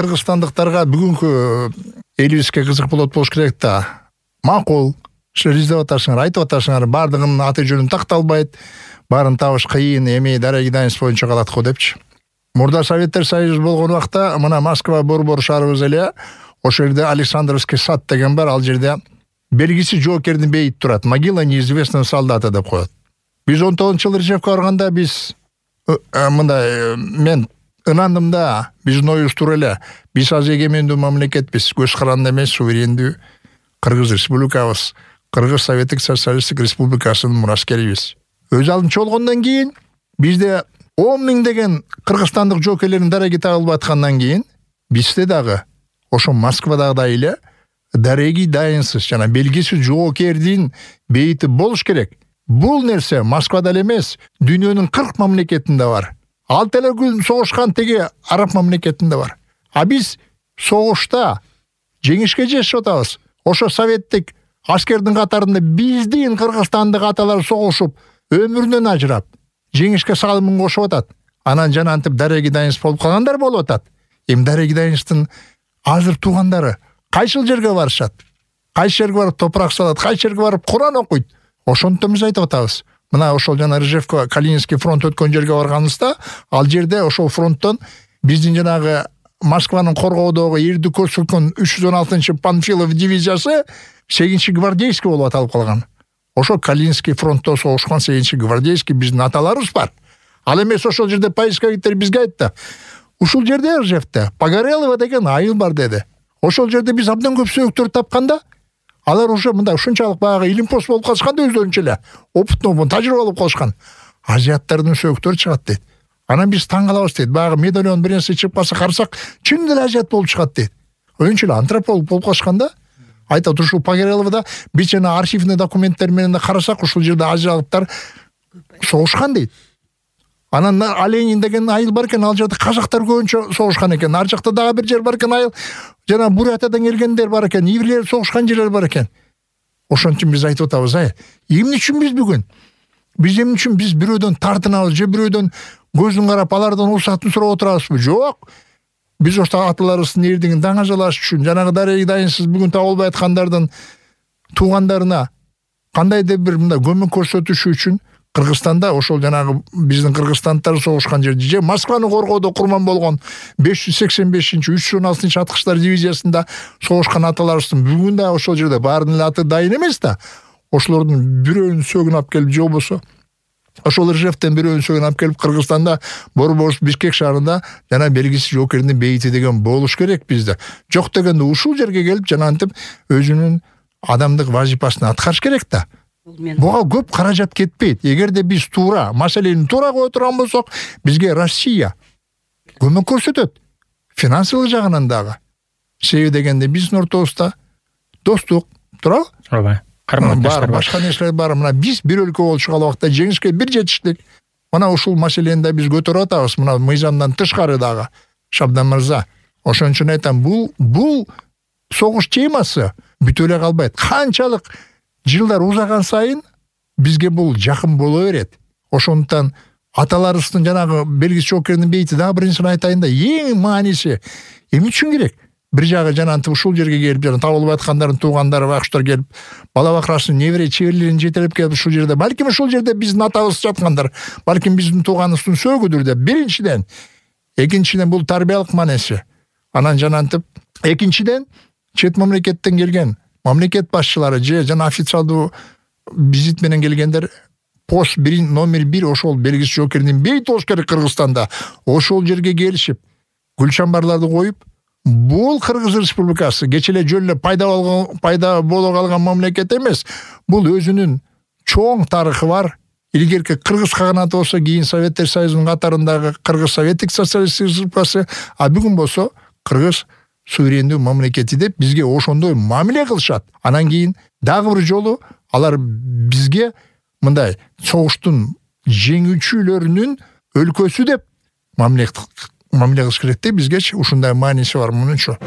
кыргызстандыктарга бүгүнкү элибизге кызык болуш керек да. Макул, силер издеп атасыңар, айтып атасыңар, бардыгынын аты жөнүн такталбайт, баарын табыш кыйын, эми дареги дайныс боюнча калат го депчи. Мурда Советтер Союзу болгон убакта мына Москва борбор шаарыбыз эле, ошол жерде Александровский сад деген бар, ал жерде белгисиз жоокердин бейити турат. Могила неизвестного солдата деп коет. Биз 19-жылы Ржевке барганда биз мындай мен ынандым да, биздин оюбуз туура эле. Биз азыр эгемендүү мамлекетпиз, көз каранды эмес, суверендүү Кыргыз республикабыз, Кыргыз Советтик Социалисттик Республикасынын мураскерибиз. Өз алдынча болгондон кийин бизде 10 000 деген кыргызстандык жоокерлердин дареги табылып аткандан кийин бизде дагы ошо Москвадагыдай эле дареги дайынсыз жана белгисиз жоокердин бейити болуш керек. Бул нерсе Москвада эле эмес, дүйнөнүн 40 мамлекетинде бар. Ал телекүн согушкан теги араб мамлекетинде бар. А биз согушта жеңишке жетип атабыз. Ошо советтик аскердин катарында биздин кыргызстандык аталар согушуп, өмүрүнөн ажырап, жеңишке салымын кошуп атат. Анан жанантип дареги дайынс болуп калгандар болуп атат. Эми дареги дайынстын азыр туугандары кайсыл жерге барышат? Кайсы жерге барып топурак салат, кайсы жерге барып Куран окуйт? Ошондон биз айтып атабыз. Мына ошол жана Ржевка, Калининский фронт өткөн жерге барганыбызда, ал жерде ошол фронттон биздин жанагы Москванын коргоодогу эрди көрсөткөн 316-чы Панфилов дивизиясы 8-гвардейский болуп аталып калган. Ошо Калининский фронтто согушкан 8-гвардейский биздин аталарыбыз бар. Ал эмес ошол жерде поисковиктер бизге айтты. Ушул жерде Ржевте Погорелова деген айыл бар деди. Ошол жерде биз абдан көп сөйөктөр тапканда, алар уже мындай ушунчалык баягы илимпоз болуп калышкан да өздөрүнчө эле. Опытный, тажрыйба алып калышкан. Азиаттардын сөйөктөрү чыгат дейт. Анан биз таң калабыз дейт. Баягы медальон бир нерсе чыгып калса карасак, чын эле азиат болуп чыгат дейт. Өйүнчө эле антрополог болуп калышкан да. Айтат ушул Погореловда биз жана архивный документтер менен карасак, ушул жерде азиялыктар согушкан дейт. Анан Оленин деген айыл бар экен, ал жерде казактар көбүнчө согушкан экен. Ар жакта дагы бир жер бар экен айыл. Жана Бурятиядан келгендер бар экен, иврлер согушкан жерлер бар экен. Ошон үчүн биз айтып атабыз, эмне үчүн биз бүгүн? Биз эмне үчүн биз бирөөдөн тартынабыз, же бирөөдөн көзүн карап алардан уруксатын сурап отурабызбы? Жок. Биз ошо аталарыбыздын эрдигин даңажалаш үчүн, жанагы дареги дайынсыз бүгүн табылбай аткандардын туугандарына кандайдыр бир мындай көмөк көрсөтүш үчүн Кыргызстанда ошол жанагы биздин кыргызстандтар согушкан жерде, же Москваны коргоодо курман болгон 585-316 аткычтар дивизиясында согушкан аталарыбыздын бүгүн да ошол жерде баарынын эле аты дайын эмес да. Ошолордун бирөөнүн сөөгүн алып келип, же болбосо ошол Ржевтен бирөөнүн сөөгүн алып келип Кыргызстанда борбор Бишкек шаарында жана белгисиз жоокердин бейити деген болуш керек бизде. Жок дегенде ушул жерге келип жанантип өзүнүн адамдык вазифасын аткарыш керек да. Буга көп каражат кетпейт. Эгерде биз туура маселени туура кое турган болсок, бизге Россия көмөк көрсөтөт. Финансылык жагынан дагы. Себеби дегенде биздин ортобузда достук, туурабы? Ооба. Бар, башка нерселер бар. Мына биз бир өлкө болушкан убакта жеңишке бир жетиштик. Мына ушул маселени да биз көтөрүп атабыз. Мына мыйзамдан тышкары дагы. Шабдан мырза, ошон үчүн айтам, бул согуш темасы бүтө эле калбайт. Канчалык жылдар узаган сайын бизге бул жакын боло берет. Ошондуктан аталарыбыздын жанагы белгисиз жоокердин бейити дагы бир нерсени айтайын да, эң мааниси эмне үчүн керек? Бир жагы жанантип ушул жерге келип, жана табылып аткандардын туугандары, бакчылар келип, бала бакырасын, небере чеберлерин жетелеп келип ушул жерде, балким ушул жерде биздин атабыз жаткандар, балким биздин тууганыбыздын сөөгүдүр деп. Биринчиден, экинчиден бул тарбиялык маанеси. Анан жанантип, экинчиден чет мамлекеттен келген мамлекет башчылары же жана официалдуу визит менен келгендер пост номер 1 ошол белгисиз жоокердин бейити болуш керек Кыргызстанда. Ошол жерге келишип, гүлчамбарларды коюп, бул Кыргыз Республикасы кече эле жөн эле пайда боло калган мамлекет эмес. Бул өзүнүн чоң тарыхы бар. Илгерки Кыргыз каганаты болсо, кийин Советтер Союзунун катарындагы Кыргыз Советтик Социалисттик Республикасы, а бүгүн болсо Кыргыз суверендүү мамлекети деп бизге ошондой мамиле кылышат. Анан кийин дагы бир жолу алар бизге мындай согуштун жеңүүчүлөрүнүн өлкөсү деп мамиле кылыш керек деп бизге ушундай мааниси бар мунунчу.